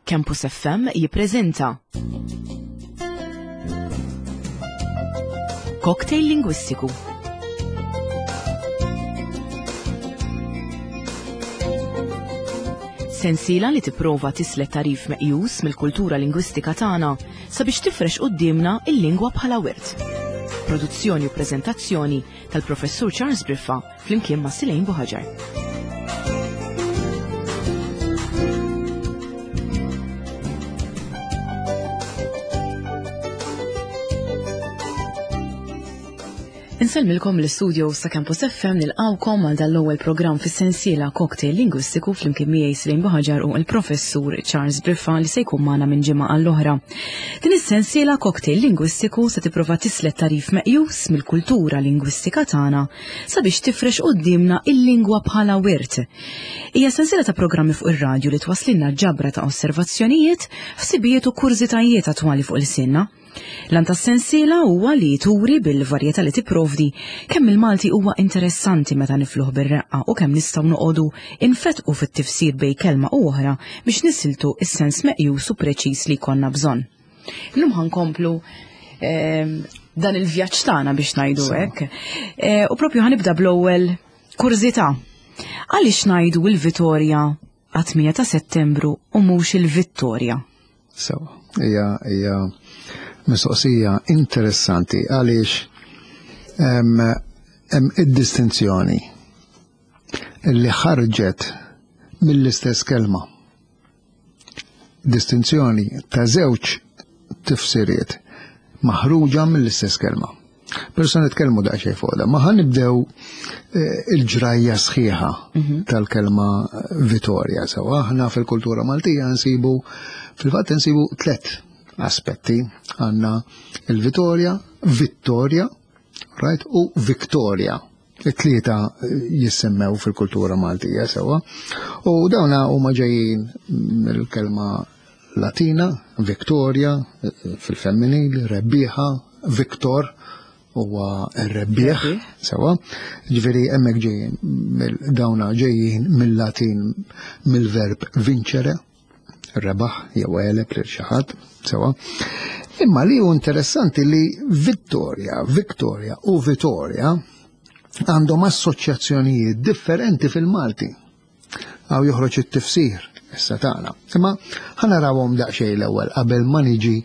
Campus FM jippreżenta Cocktail Lingwistiku. Sensiela li tipprova tislet tarif meqjus mill-kultura lingwistika tagħna sabiex tifrex quddiemna il-lingwa bħala wirt. Produzzjoni u preżentazzjoni tal-Professur Charles Briffa flimkien ma' Silejn Buħaġar. Insellmilkom l-istudio sa' Campus FM nilqawkom għal dal-ewwel programm fis-sensiela Cocktail Lingwistiku flimkien miegħi Silejn Buħaġar u l-Professur Charles Briffa li se jkun magħna minn ġimgħa għall-oħra. Din is-sensiela Cocktail Lingwistiku se tipprova tislet tarif meqjus mill-kultura lingwistika tagħna sabiex tifrex quddiemna il-lingwa bħala wirt. Hija sensiela ta' programmi fuq ir-radju li twasslilna ġabra ta' osservazzjonijiet, ħsibijiet u kurżitajiet attwali fuq ilsienna. L-għan tas-sensiela huwa li turi bil-varjetà li tipprovdi kemm il-Malti huwa interessanti meta nifluh bir-reqqa u kemm nistgħu noqogħdu infetqu fit-tifsir bejn kelma u oħra biex nisiltu s-sens meqjus u preċiż li jkollna bżonn. Illum ħankomplu ehm, dan il-vjaġġ tagħna biex ngħidu hekk. Eh, u propju ħanibda bl-ewwel kurżità. Għaliex ngħidu l-Vitorja għat-8 ta' Settembru u mhux il-Vittorja? Sewa, hija hija mistoqsija interessanti għaliex hemm id-distinzjoni li ħarġet mill-istess kelma. Distinzjoni ta' żewġ tifsiriet maħruġa mill-istess kelma. Pero se nitkellmu daqsxejn fuq da. Ma ħa nibdew eh, il-ġrajja sħiħa mhm. tal-kelma Vittoria. Sewa aħna fil-kultura Maltija nsibu fil-fatt nsibu tlet aspetti. Għandna il-Vittoria, Vittoria, right, u Victoria. It-tlieta jissemmew fil-kultura Maltija sewa. U dawna huma ġejjin mill-kelma Latina, Victoria, fil-femminil, rebbieħa, Victor, huwa r-rebbieħ, sewa. Ġifieri hemmhekk ġejjin dawna ġejjin mill-Latin mill-verb vincere, rebaħ jew għeleb lil xi ħadd, sewa. Imma li hu interessanti li Vittoria, Victoria u Vittoria għandhom assoċjazzjonijiet differenti fil-Malti. Għaw joħroġ it-tifsir issa tagħna. Imma ħanarawhom daqsxejn l-ewwel qabel ma niġi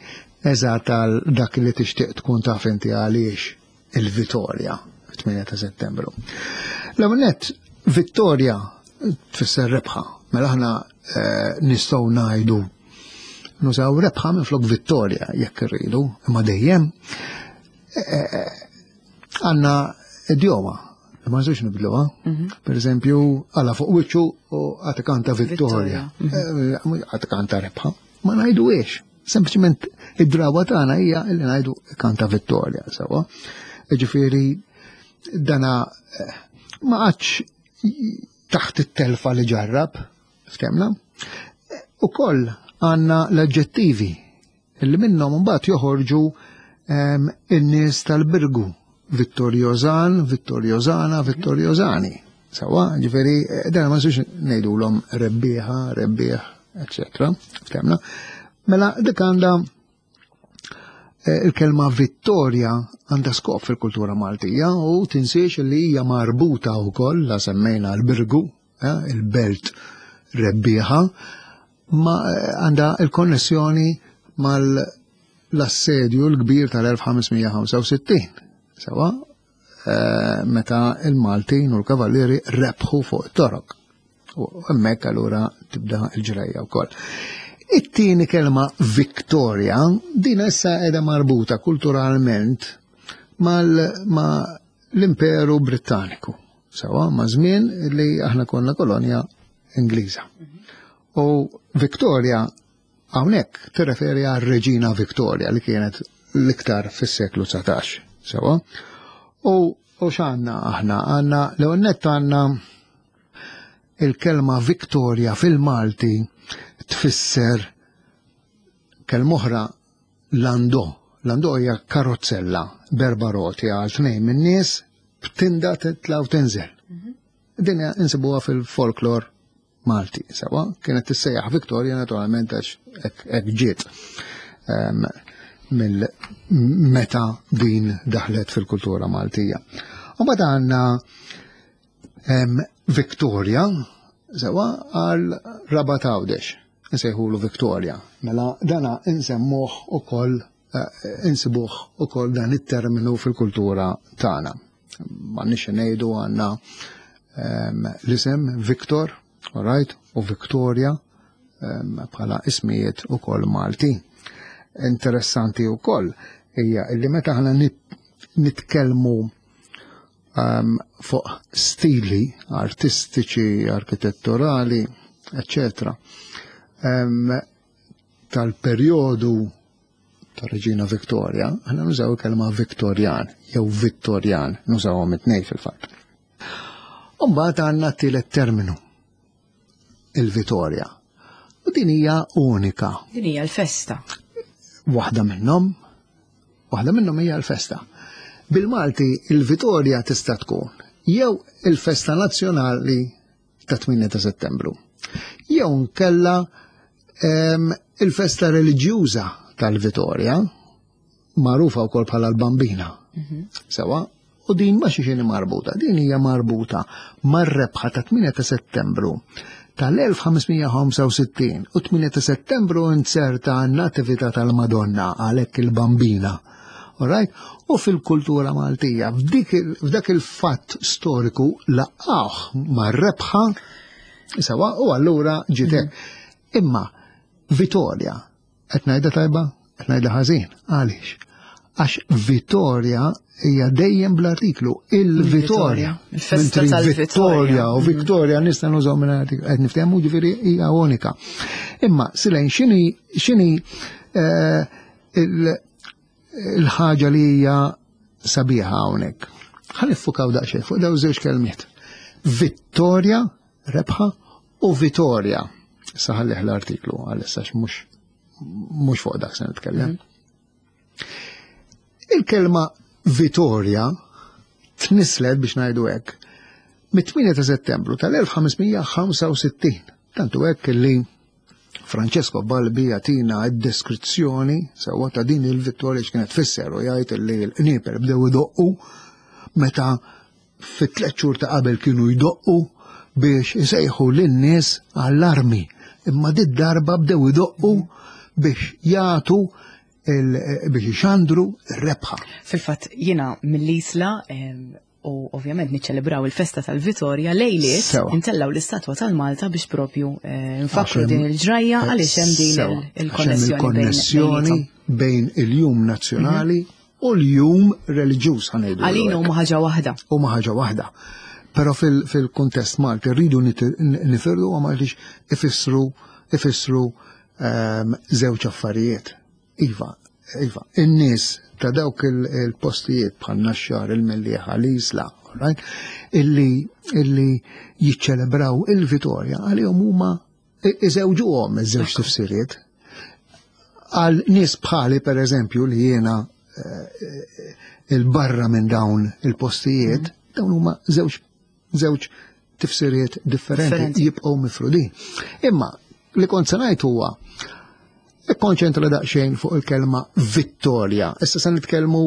eżatt għal dak li tixtieq tkun taf inti għaliex il-Vittoria 8 ta' Settembru. L-ewwel nett Vittoria tfisser rebħa. Mela aħna eh, nistgħu ngħidu nużaw rebħa minn flok vittorja jekk irridu, imma dejjem eh, eh, għandna idjoma ma nistgħux nibdluha. Mhm. Per eżempju, għala fuq wiċċu u għad kanta vittorja, mhm. għad kanta rebħa. Ma ngħidu ix. Sempliċement id-drawa tagħna hija li ngħidu kanta vittorja sewwa. Ġifieri dana eh, ma għadx taħt it-telfa li ġarrab, ftemna. Ukoll għandna l-aġġettivi li minnhom mbagħad joħorġu ehm, in-nies tal-Birgu, Vittoriozan, Vittoriozana, Vittoriozani. Sawa, ġifieri eh, dan ma nsux ngħidulhom rebbieħa, rebbieħ, eċetera. Ftemna. Mela dik għandha eh, il-kelma vittoria għandha skop fil-kultura Maltija u tinsiex li hija marbuta wkoll la semmejna l-Birgu, eh, il-belt rebbieħa, ma eh, għandha il-konnessjoni mal-assedju l-kbir tal-1565. Sewa, eh, meta il-Maltin u l-Kavallieri rebħu fuq it-Torok. U hemmhekk allura tibda l-ġrajja wkoll. It-tieni kelma Victoria, din issa qiegħda marbuta kulturalment mal ma l-Imperu Brittaniku. Sewa, ma' żmien li aħna konna kolonja Ingliża. U Victoria hawnhekk tirreferi għal Reġina Victoria li kienet l-iktar fis-seklu 19. Sewa. U u x'għandna aħna? Għandna l-ewwel nett għandna il-kelma Victoria fil-Malti tfisser kelma oħra landò. Landò hija karozzella berba roti għal tnejn min-nies b'tinda titla' u tinżel. Mhm. Din insibuha fil-folklor. Malti, sewa, kienet tissejjaħ Victoria naturalment għax hekk ġiet mill meta din daħlet fil-kultura Maltija. U mbagħad għandna Victoria, sewa, għal Rabat Għawdex, nsejħulu Victoria. Mela dana insemmuh ukoll eh, insibuh ukoll dan it-terminu fil-kultura tagħna. M'għandniex ngħidu għandna l-isem Victor, all right, u Victoria bħala ismijiet ukoll Malti. Interessanti ukoll hija li meta aħna nitkellmu fuq stili artistiċi, arkitetturali, eccetera, tal-perjodu ta' Reġina Victoria, aħna nużaw il-kelma Victorian jew Vittorian, nużawhom it-tnejn fil-fatt. Umbagħad għandna t-tielet terminu, il-Vitorja. U din hija unika. Din hija l-festa. Waħda minnhom, waħda minnhom hija l-festa. Bil-Malti il-Vitorja tista' tkun jew il-festa nazzjonali ta' 8 ta' Settembru. Jew nkella il-festa reliġjuża tal-Vitorja, magħrufa wkoll bħala l-Bambina. Mhm. Sewa, u din ma xi marbuta, din hija marbuta mar-rebħa ta' 8 ta' Settembru tal-1565 u 8 ta' Settembru inserta n-natività tal-Madonna għalhekk il-Bambina. Alright? U fil-kultura Maltija, f'dak il-fatt storiku laqgħuh mar-rebħa sewa u allura ġiet hekk. Mhm. Imma Vittoria, qed ngħidha tajba, qed ngħidha ħażin. Għaliex? Għax Vittoria hija dejjem bl-artiklu il-Vittoria. Il-festa tal-Vittoria. U mhm. Vittoria nista' nużaw minn artiklu qed niftehmu ġifieri hija unika. Imma silejn x'inhi x'inhi eh, il-ħaġa li hija sabiħa hawnhekk. Ħa niffukaw daqsxejn fuq daw żewġ kelmiet. Vittoria, rebħa, u Vittoria. Saħallih l-artiklu għalissa mhux mhux fuq dak se nitkellem. Mhm. Il-kelma Vittoria tnislet biex ngħidu hekk mit-8 ta' Settembru tal-1565. Tantu hekk li Francesco Balbi jagħtina d-deskrizzjoni sewwa ta' din il-vittorja x'kienet tfisser u jgħid li l-qnieper bdew idoqqu meta fit-tliet xhur ta' qabel kienu jdoqqu biex isejħu lin-nies għall-armi. Imma dit darba bdew idoqqu biex jagħtu biex ixandru r-rebħa. Fil-fatt jiena mill-Isla u ovvjament niċċelebraw il-festa tal-Vitorja lejliet intellaw l-istatwa tal-Malta biex propju eh, nfakru din il-ġrajja għaliex hemm din il-konnessjoni bejn il-jum nazzjonali mhm. u l-jum reliġjuż ħanejdu. Għalina huma ħaġa waħda. Huma ħaġa waħda. Però fil-kuntest Malti rridu nifirdu għam għaliex ifissru ifissru ehm, żewġ affarijiet. Iva, iva, in-nies ta' dawk il-postijiet bħal Naxxar, il-Mellieħa, l-Isla, right? illi, illi jiċċelebraw il-Vitorja għalihom huma iżewġuhom iż-żewġ tifsiriet. Għal nies bħali per eżempju li jiena eh, il-barra minn dawn il-postijiet, mm. dawn huma żewġ żewġ tifsiriet differenti jibqgħu mifrudin. Imma li kont se ngħid huwa ikkonċentra daqsxejn fuq il-kelma vittorja. Issa se nitkellmu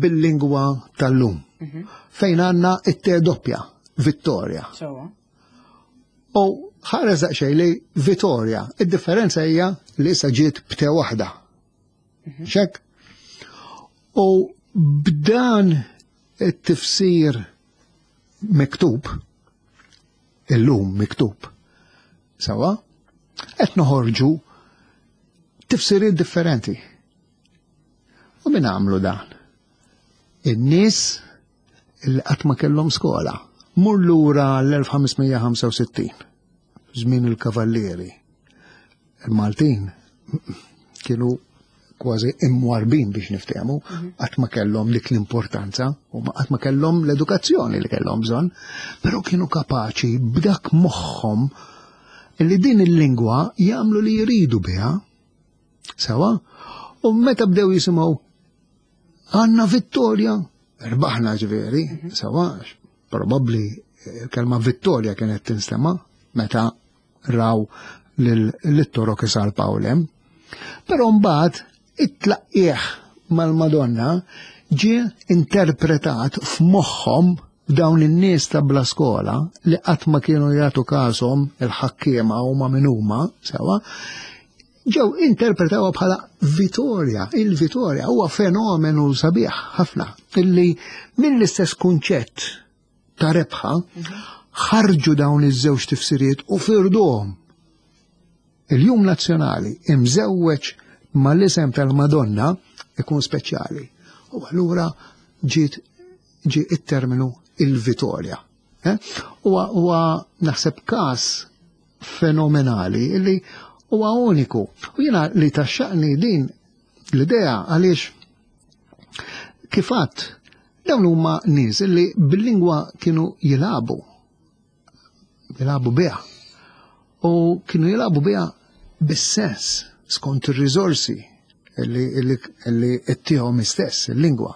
bil-lingwa tal-lum. Mhm. Fejn għandna it-te doppja, vittorja. U ħares daqsxejn li vittorja. Id-differenza hija li issa ġiet b'te waħda. Mhm. Xek? U b'dan it-tifsir miktub, illum miktub, sawa, qed noħorġu tifsiriet differenti. U min għamlu dan? In-nies li qatt ma kellhom skola. Mur lura l-1565, żmien il-kavallieri. Il-Maltin kienu kważi imwarbin biex niftehmu, mhm. qatt ma kellhom dik l-importanza u qatt ma kellhom l-edukazzjoni li kellhom bżonn, però kienu kapaċi b'dak moħħhom li din il-lingwa jagħmlu li jridu biha. Sewa, u meta bdew jisimgħu għandna vittorja, rbaħna ġifieri, mhm. sewa, probabbli il-kelma vittorja kienet tinstema' meta raw lit-torok isalpaw lem. Però mbagħad it-tlaqqieħ mal-Madonna ġie interpretat f'moħħhom dawn in-nies ta' bla skola li qatt ma kienu jagħtu każhom il-ħakkiema huma min huma sewa, ġew interpretawha bħala Vitorja. Il-Vitorja huwa fenomenu sabiħ ħafna illi mill-istess kunċett ta' rebħa ħarġu dawn iż-żewġ tifsiriet u firduhom. Il-Jum Nazzjonali imżewweġ mal-isem tal-Madonna ikun speċjali. U allura ġiet ġie it-terminu il-Vitorja. Eh? Huwa naħseb każ fenomenali li huwa uniku. U jiena li taxxaqni din l-idea għaliex kifat dawn huma nies li bil-lingwa kienu jilagħbu jilagħbu biha. U kienu jilagħbu biha bis-sens skont ir-riżorsi li ittihom istess il-lingwa.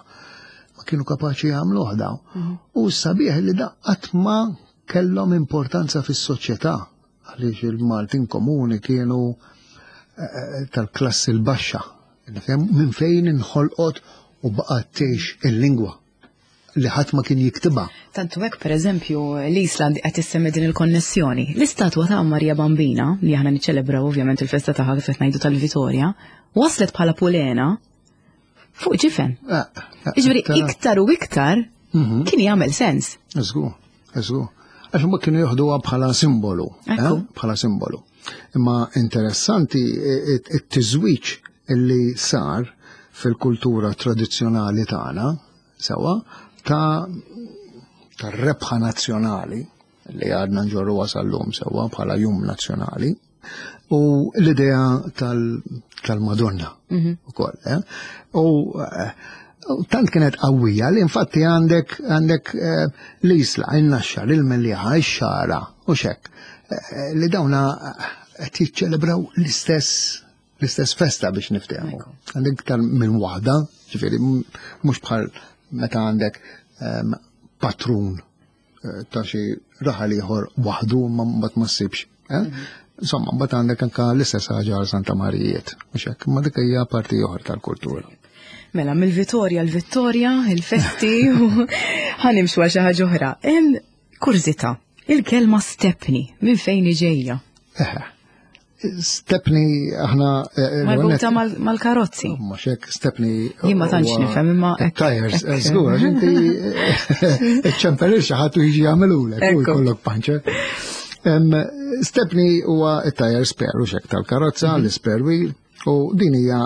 Ma kienu kapaċi jagħmluh daw. Mhm. U sabiħ li da qatt ma kellhom importanza fis-soċjetà għaliex il-Maltin komuni kienu eh, eh, tal-klassi l-baxxa. Minn fejn inħolqot u baqgħet tgħix il-lingwa li ħadd ma kien jiktibha. Tantu hekk pereżempju l-Isla qed issemmi din il-konnessjoni. L-istatwa ta' Marija Bambina li aħna niċċelebraw ovvjament il-festa tagħha kif qed ngħidu tal-Vitorja, waslet bħala pulena fuq ġifen. Eh, eh, Jiġifieri iktar u iktar mhm. kien jagħmel sens. Eżgu, eżgu. Għax ma kienu joħduha bħala simbolu, eh, bħala simbolu. Imma interessanti it-tiżwiġ illi sar fil-kultura tradizzjonali tagħna, sewa, ta' tar-rebħa nazzjonali li għadna nġorru sal-lum sewa bħala jum nazzjonali, u l-idea tal-Madonna mhm. ukoll. Eh? U eh, tant kienet qawwija li infatti għandek għandek eh, l-isla, il-naxxar, il-mellieħa, ix-xara u xek li dawna qed jiċċelebraw l-istess l-istess festa biex niftehmu. Għandek iktar minn waħda, ġifieri mhux bħal meta għandek ehm, patrun eh, ta' xi raħal ieħor waħdu ma mbagħad ma ssibx. Eh? Mhm. Insomma, mbagħad għandek anke l-istess ħaġa għal Santa Marijiet, mhux hekk, ma dik hija parti oħra tal-kultura. Mela, mill-Vitorja l-Vittorja, il-festi, ħanimxu għal xi ħaġa oħra. Kurżità, il-kelma stepni, minn fejn ġejja? Stepni aħna. Eh, eh, Marbuta mal-karozzi. Oh, ma xek, stepni. Jien ma tantx nifhem imma. Tires, eh, żgur, għax inti ċempelir xi ħadd u jiġi jagħmelulek u jkollok panċer. Stepni huwa it-tire spare u xek tal-karozza, mhm. l-spare wheel, u din hija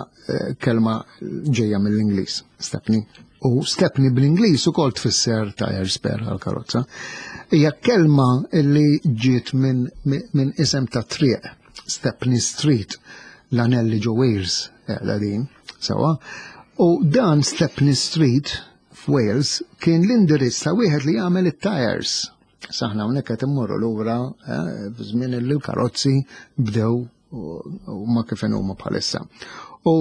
kelma ġejja mill-Ingliż, stepni. U stepni bl-Ingliż ukoll tfisser tire spare għal-karozza. Hija kelma li ġiet minn min isem ta' triq, Stepney Street, l-anelli ġo Wales, la din, sewa. U dan Stepney Street f'Wales kien l-indirizz ta' wieħed li jagħmel it-tires. Saħna hawnhekk qed immorru lura eh, f'żmien li l-karozzi bdew u ma kif huma bħalissa. U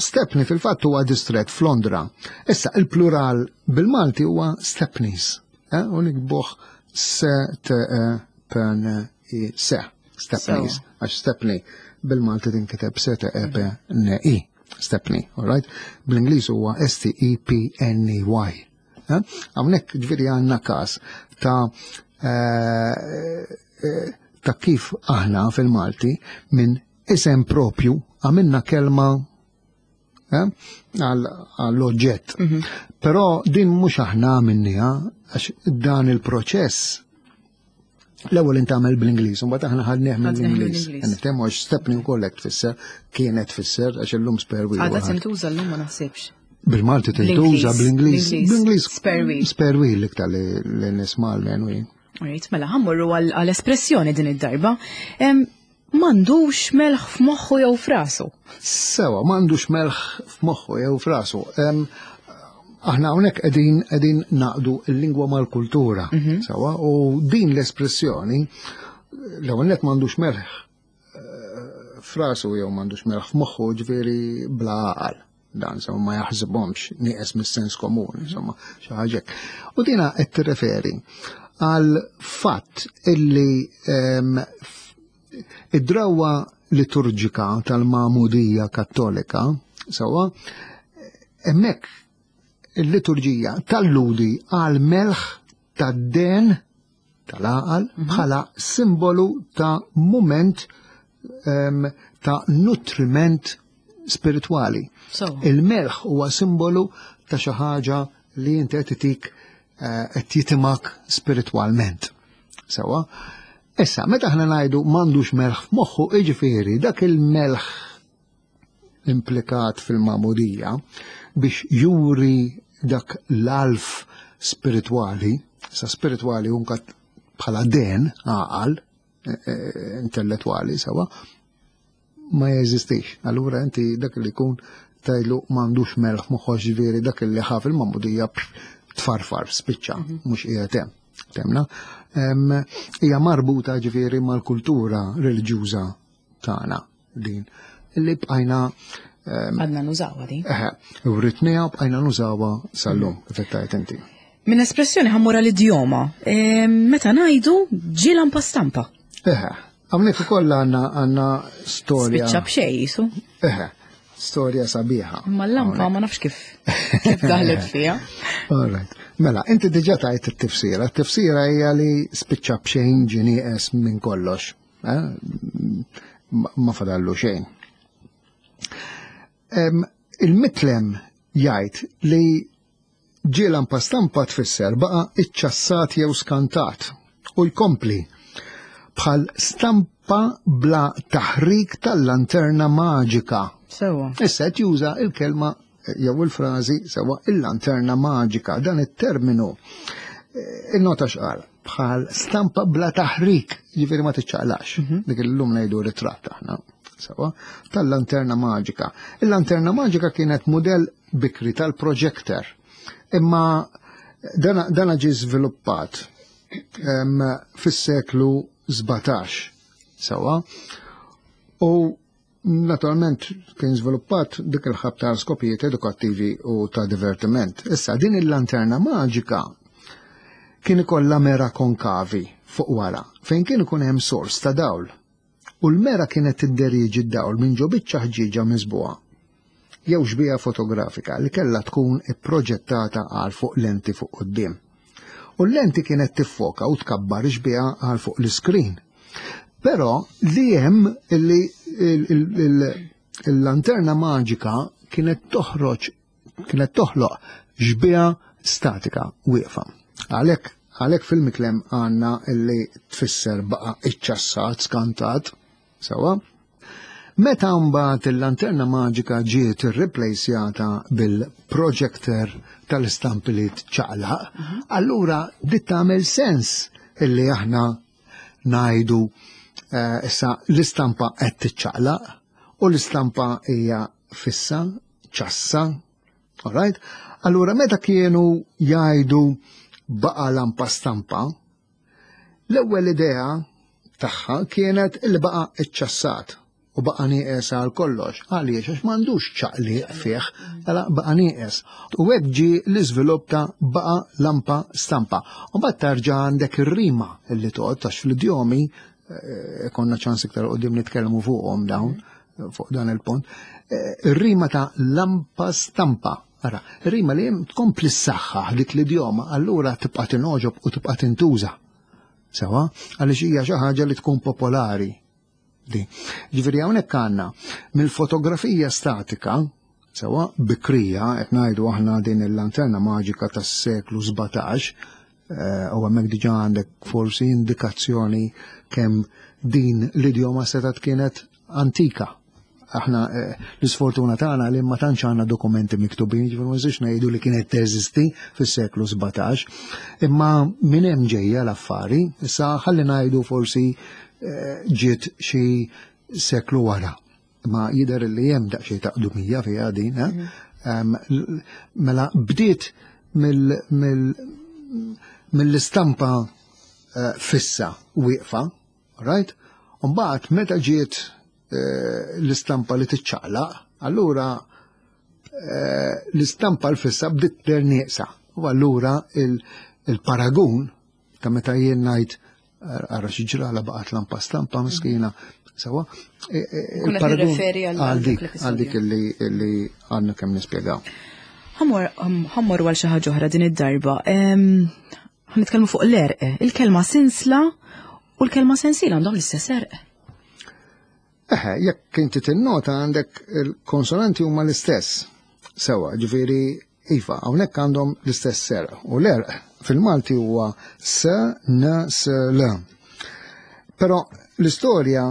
Stepney fil-fatt huwa distret f'Londra. Issa il-plural bil-Malti huwa Stepneys. Eh? U nikbuh S T E P N I S. Stepneys. Għax Stepney bil-Malti tinkiteb S T E P N I. Stepney, all right? Bl-Ingliż huwa S T E P N E Y. Eh? Hawnhekk ġifieri għandna każ ta' eh, eh, ta' kif aħna fil-Malti minn isem propju għamilna kelma għall-oġġett. Mhm. Però din mhux aħna għamilniha għax dan il-proċess L-ewwel intagħmel bl-Ingliż, u mbagħad aħna ħadnieh mill-Ingliż. Niftehmu għax stepni wkoll hekk tfisser, kienet tfisser għax illum spare wheel. Għadha tintuża llum ma naħsibx. Bil-Malti tintuża bl-Ingliż. Bl-Ingliż spare wheel. Spare wheel iktar li nisma' l-menwi. Rejt, mela ħammurru għall-espressjoni din id-darba. M'għandux melħ f'moħħu jew f'rasu. Sewa, m'għandux melħ f'moħħu jew f'rasu. Aħna hawnhekk qegħdin qegħdin naqdu l-lingwa mal-kultura. Mhm. Sewa, u din l-espressjoni l-ewwel nett m'għandux melħ eh, f'rasu jew m'għandux melħ f'moħħu ġifieri bla għaqal dan insomma ma jaħsibhomx nieqes mis-sens komun, insomma, xi ħaġa U dina qed tirreferi għal fatt illi ehm, Id-drawwa liturġika tal-Magħmudija Kattolika, sewwa, hemmhekk il-liturġija talludi għal melħ tad-den tal-għaqal bħala simbolu ta' mument ta' nutriment spiritwali. Il-melħ huwa simbolu ta' xi ħaġa li inti qed itik eh, qed jitimak spiritwalment. Sewa. Issa, meta aħna ngħidu m'għandux melħ f'moħħu, jiġifieri dak il-melħ implikat fil-magħmudija biex juri dak l-alf spiritwali, sa spiritwali unka bħala den, għaqal, eh, eh, intellettwali, sewa, ma jeżistix. Allura inti dak li jkun tajlu m'għandux melħ moħħox ġifieri dak li ħaf il-magħmudija tfarfar, spiċċa, mhux qiegħed hemm. Temna. Hija marbuta ġifieri mal-kultura reliġjuża tagħna din li bqajna għadna nużawha din. Eħe, writniha bqajna nużawha sal-lum, kif qed tgħid inti. Minn espressjoni ħammura l-idjoma, meta ngħidu ġie lampa stampa. Eħe, hawnhekk ukoll għandna għandna storja. Spiċċa b'xejn jisu. Eħe, storja sabiħa. Imma l-lampa ma nafx kif kif daħlet fiha. All right. Mela, inti diġà tajt it-tifsira. It-tifsira hija li spiċċa b'xejn ġie nieqes minn kollox. Eh? Ma fadallu xejn. Il-mitlem jgħid li ġie lampa stampa tfisser baqa' iċċassat jew skantat u jkompli bħal stampa bla taħrik tal-lanterna maġika. Sewa. Issa qed juża il-kelma jew il-frażi sewa il-lanterna maġika. Dan it-terminu eh, innota x'qal bħal stampa bla taħrik, jiġifieri ma tiċċaqlax. Mhm. Dik illum ngħidu ritratt aħna. Sewa, tal-lanterna maġika. Il-lanterna maġika kienet mudell bikri tal-projector. Imma dana ġie żviluppat fis-seklu 17 sewa. U naturalment kien żviluppat dik il-ħab ta' skopijiet edukattivi u ta' divertiment. Issa din il-lanterna maġika kien ikollha mera konkavi fuq wara fejn kien ikun hemm sors ta' dawl u l-mera kienet tidderieġi d-dawl minn ġo biċċa ħġieġa miżbugħa jew xbieha fotografika li kellha tkun ipproġettata għal fuq lenti fuq quddiem. U l-lenti kienet tiffoka u tkabbar ix-xbieha għal fuq l-iskrin. Però li hemm li il-lanterna maġika kienet toħroġ kienet toħloq xbieha statika wieqfa. Għalhekk għalhekk fil-miklem għandna li tfisser baqa' iċċassat, skantat, sewa. Meta mbagħad il-lanterna maġika ġiet irreplejsjata bil-projector tal-istampi li tċaqlaq, mhm. allura dit tagħmel sens illi aħna ngħidu eh, issa l-istampa qed tiċċaqlaq u l-istampa hija fissa ċassa, all right? Allura meta kienu jgħidu baqa lampa stampa, l-ewwel idea tagħha kienet li baqa iċċassat u baqa nieqes għal kollox. Għaliex għax m'għandux ċaqliq fih, mela baqa nieqes. U hekk ġie l-iżvilupp ta' baqa lampa stampa. U mbagħad tarġa' għandek ir-rima li toqgħod għax fl-idjomi eh, konna ċans iktar qudiem nitkellmu fuqhom dawn fuq dan il-punt, eh, ir-rima ta' lampa stampa. Ara, ir-rima li hemm tkompli s-saħħa dik l-idjoma, allura tibqa' tinogħġob u tibqa' tintuża. Sewa, għaliex hija xi ħaġa li tkun popolari. Di. Ġifieri hawnhekk għandna mill-fotografija statika, sewa bikrija, qed ngħidu aħna din il-lanterna maġika tas-seklu 17, eh, u hemmhekk diġà għandek forsi indikazzjoni kemm din l-idjoma setgħet kienet antika. Aħna eh, l-isfortuna tagħna li ma tantx għandna dokumenti miktubin, ġifieri ma nistax ngħidu li kienet teżisti fis-seklu 17, imma minn hemm ġejja l-affari, issa ħalli ngħidu forsi eh, ġiet xi seklu wara. Ma jidher li hemm daqsxejn ta' qdumija fiha din, eh? mhm. mela bdiet mill-istampa fissa wieqfa Right? Mbagħad meta ġiet eh, l-istampa li tiċċaqlaq, allura eh, l-istampa l-fissa bdiet ter nieqsa. U allura il-paragun ta' meta jien ngħid Ara xi ġrala baqgħet lampa stampa miskina. Sewa, e, e, il-paragun għal dik għal dik li għandna kemm nispjegaw. Ħammor għal xi ħaġa oħra din id-darba. Ħanitkellmu fuq l-erq. Il-kelma sinsla u l-kelma sensiela għandhom l-istess erq. Eħe, jekk inti tinnota għandek il-konsonanti huma l-istess. Sewa, ġifieri iva, hawnhekk għandhom l-istess serq. U l-erq fil-Malti huwa s, n, s, l. Però l-istorja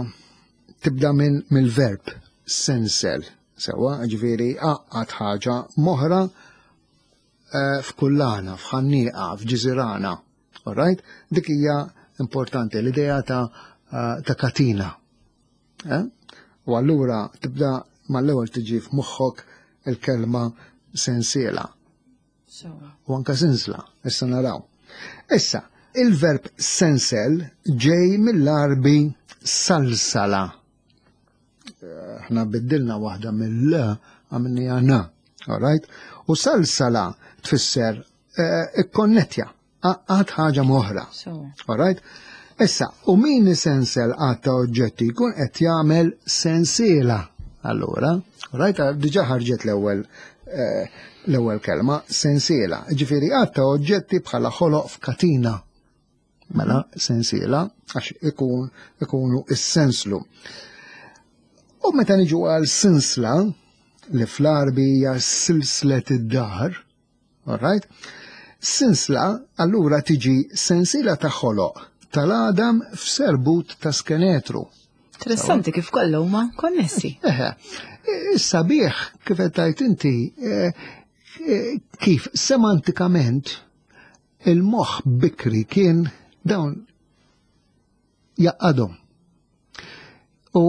tibda minn mill-verb sensel. Sewa, ġifieri għaqqad ħaġa moħra eh, f'kullana, f'ħannieqa, f'ġiżirana. All right? Dik hija importanti, l-idea ta', eh, ta katina. Eh? U allura tibda mal-ewwel tiġi f'moħħok il-kelma sensiela. U anka sinsla, issa naraw. Issa, il-verb sensel ġej mill-arbi salsala. Aħna biddilna waħda mill-l għamilniha n. All right? U salsala tfisser eh, ikkonnettja, għad ħaġa moħra. All right? Issa, u min isensel għad ta' oġġetti jkun qed jagħmel sensiela. Allura, right, diġà ħarġet l-ewwel eh, l-ewwel kelma sensiela. Ġifieri għad ta' oġġetti bħala ħoloq f'katina. Mela sensiela għax ikun ikunu is-senslu. U meta niġu għal sinsla li fl-Arbi hija silslet id-dar, all right? Sinsla allura tiġi sensiela ta' ħoloq tal-għadam f'serbut ta' skenetru. Interessanti kif kollha huma konnessi. Eħe, sabiħ kif qed tgħid inti eh, eh, kif semantikament Il-moħħ bikri kien dawn jaqqadhom. U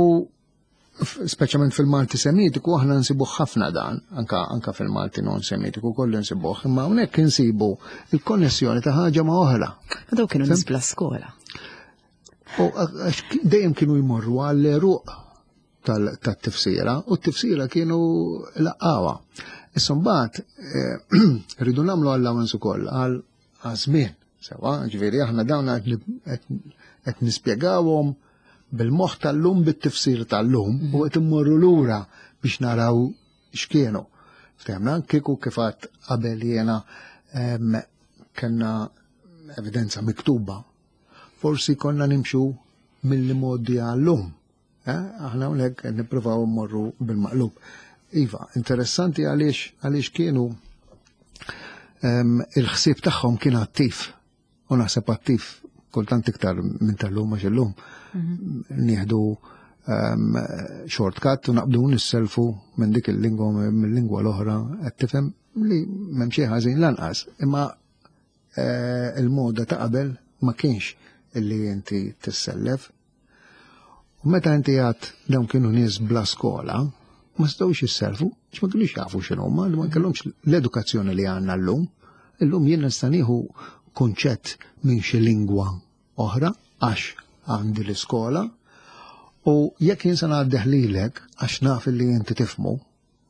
speċjalment fil-Malti Semitiku aħna nsibuh ħafna dan, anka, anka fil-Malti non Semitiku kollu nsibuh, imma hawnhekk insibu il-konnessjoni ta' ħaġa ma' oħra. Daw kienu nies bla skola. U dejjem kienu jmorru għall-eruq tat-tifsira u t-tifsira kienu laqgħuha. Issa mbagħad eh, rridu nagħmlu allowance ukoll għal żmien. Sewa, ġifieri aħna dawn qed nispjegawhom bil-moħħ tal-lum bit-tifsir tal-lum u qed immorru lura biex naraw x'kienu. Ftehmna kieku kif għadt qabel jiena kellna evidenza miktuba. Forsi konna nimxu mill-modi għallum. Eh, aħna hawnhekk qed nippruvaw mmorru bil-maqlub. Iva, interessanti għaliex għaliex kienu ehm, il-ħsieb tagħhom kien attiv. U naħseb attiv kultant iktar minn tal-lum għax illum mhm. nieħdu ehm, shortcut u naqbdu nisselfu minn dik il-lingwa mill-lingwa l-oħra qed tifhem li m'hemm xi ħażin lanqas. Imma eh, il-moda ta' qabel ma kienx illi inti tissellef. U meta inti għad dawn kienu nies bla skola, ma setgħux jisselfu, għax ma kienux jafu x'inhuma, li ma kellhomx l-edukazzjoni li għandna llum. Illum jien nista' nieħu kunċett minn xi lingwa oħra għax għandi l-iskola u jekk jien se ngħaddih lilek għax naf li inti tifhmu,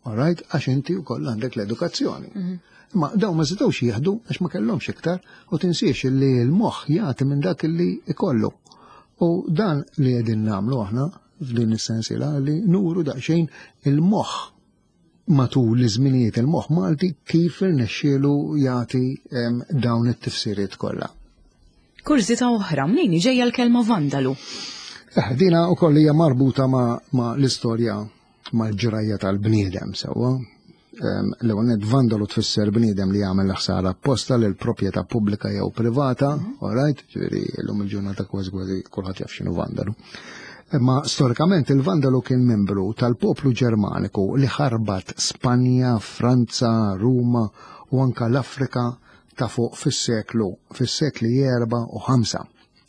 All right? Għax inti wkoll għandek l-edukazzjoni. Mhm. Imma dawn ma setgħux jieħdu għax ma kellhomx iktar u tinsiex li l-moħħ jagħti minn dak li ikollu. U dan li qegħdin nagħmlu aħna f'din is-sensiela li nuru daqsxejn il-moħħ matul iż-żminijiet il-moħħ Malti kif irnexxielu jagħti dawn it-tifsiriet kollha. Kurżità oħra, mnejn ġejja l-kelma vandalu? Eh, dina wkoll hija marbuta ma', ma l-istorja mal-ġrajja tal-bniedem sewwa. L-ewwel nett vandalu tfisser bniedem li jagħmel ħsara apposta lil proprjetà pubblika jew privata, mhm. all right, ġifieri llum il-ġurnata kważi kważi kulħadd jaf x'inhu vandalu. Imma storikament il-vandalu kien membru tal-poplu Ġermaniku li ħarbat Spanja, Franza, Ruma u anka l-Afrika ta' fuq fis-seklu fis-sekli 4 u 5.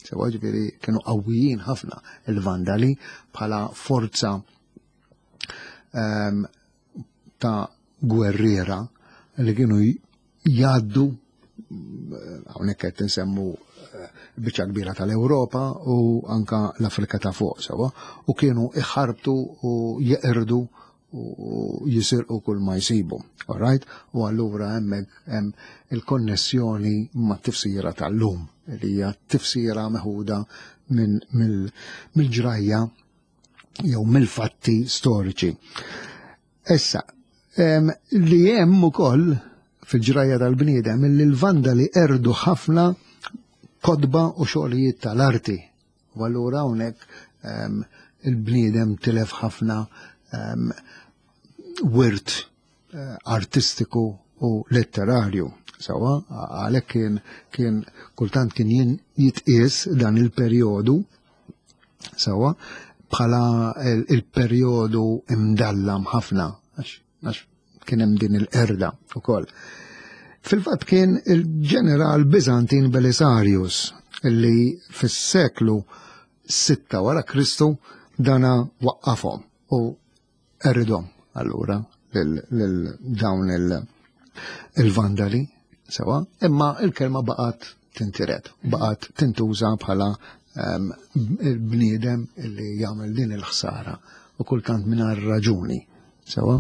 Sewa ġifieri kienu qawwijin ħafna il-Vandali bħala forza ehm, ta' gwerriera li kienu jgħaddu hawnhekk qed insemmu eh, biċċa kbira tal-Ewropa u anka l-Afrika ta' fuq sewa u kienu iħarbtu u jeqirdu u jisirqu kull ma jsibu. All right? U allura hemmhekk hemm il-konnessjoni ma' tifsira tal-lum. li hija tifsira meħuda mill-ġrajja jew mill-fatti storiċi. Issa, li hemm ukoll fil-ġrajja tal-bniedem li l-vandali erdu ħafna kotba u xogħlijiet tal-arti. U allura hawnhekk il-bniedem tilef ħafna wirt eh, artistiku u letterarju. Sawa, għalhekk kien kien kultant kien jitqies dan il-perjodu sawa bħala il-perjodu imdallam ħafna għax kien hemm din il-qerda ukoll. Fil-fatt kien il-ġeneral Bizantin Belisarius li fis-seklu 6 wara Kristu dana waqqafhom u Eridhom allura lil dawn il-vandali sewa, imma il-kelma baqgħet tintiret, baqgħet tintuża bħala ehm, il-bniedem li jagħmel din il-ħsara u kultant mingħajr raġuni. Sewa?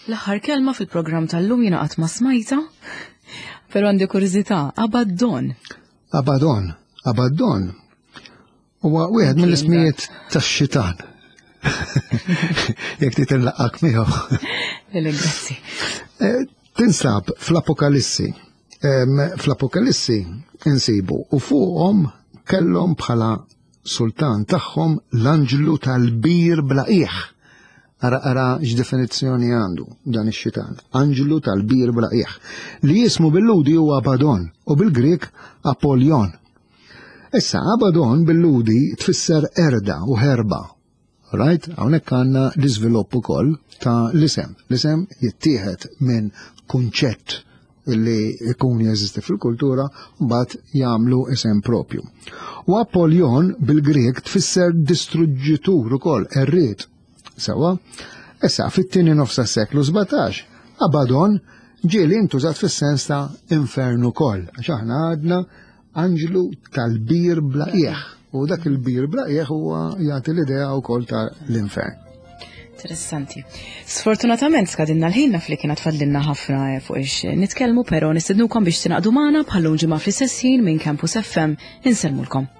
L-aħħar kelma fil-programm tal-lum jiena qatt ma smajta, però għandi kurżità, abaddon. Abaddon, abaddon. Huwa wieħed mill-ismijiet tax-xitan. Jekk trid inlaqqak miegħu. Lele, grazzi. Eh, tinsab fl-Apokalissi. Fl-Apokalissi insibu u fuqhom kellhom bħala sultan tagħhom l-anġlu tal-bir bla qiegħ. Ara ara x'definizzjoni għandu dan ix-xitan. Anġlu tal-bir bla qiegħ. Li jismu bil-Ludi huwa Abaddon u bil-Grieg Apollyon. Issa, Abaddon bil-Lhudi tfisser qerda u ħerba. Right? Hawnhekk għandna l-iżvilupp ukoll ta' l-isem. L-isem jittieħed minn kunċett li jkun jeżisti fil-kultura mbagħad jagħmlu isem propju. U Apollyon bil-Grieg tfisser distruġġitur ukoll, erriet. Sewa, issa fit-tieni nofs tas-seklu 17, Abaddon ġieli intużat fis-sens ta' infern ukoll, għax aħna għadna anġlu tal-bir bla qiegħ. U dak il-bir bla qiegħ huwa jagħti l-idea wkoll ta' l-infern. Interessanti. Sfortunatament skadinna l-ħin naf li kienet fadlinna ħafna eh, fuq ix nitkellmu, però nistednukom biex tinaqdu magħna bħallum ġimgħa fl-istess ħin minn Campus FM insellmulkom.